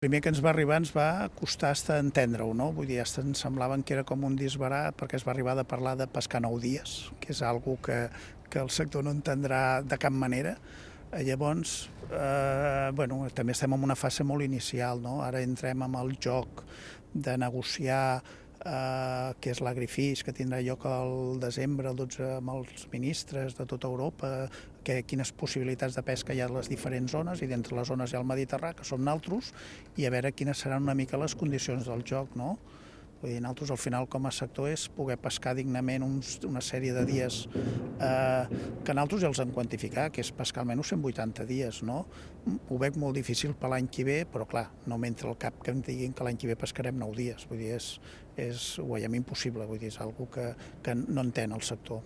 El primer que ens va arribar ens va costar entendre-ho, no? Vull dir, ens semblaven que era com un disbarat perquè es va arribar a parlar de pescar 9 dies, que és algo que el sector no entendrà de cap manera. Llavors, també estem en una fase molt inicial, no? Ara entrem amb el joc de negociar que és l'agrifish, que tindrà lloc al desembre, el 12, amb els ministres de tota Europa, quines possibilitats de pesca hi ha a les diferents zones, i d'entre les zones hi ha el Mediterrani, que som nosaltres, i a veure quines seran una mica les condicions del joc, no? Vull dir, nosaltres al final com a sector és poder pescar dignament una sèrie de dies que nosaltres ja els hem quantificat, que és pescar almenys 180 dies, no? Ho veig molt difícil per l'any que ve, però clar, no m'entra al cap que em diguin que l'any que ve pescarem 9 dies, vull dir, ho veiem impossible, vull dir, és una cosa que no entén el sector.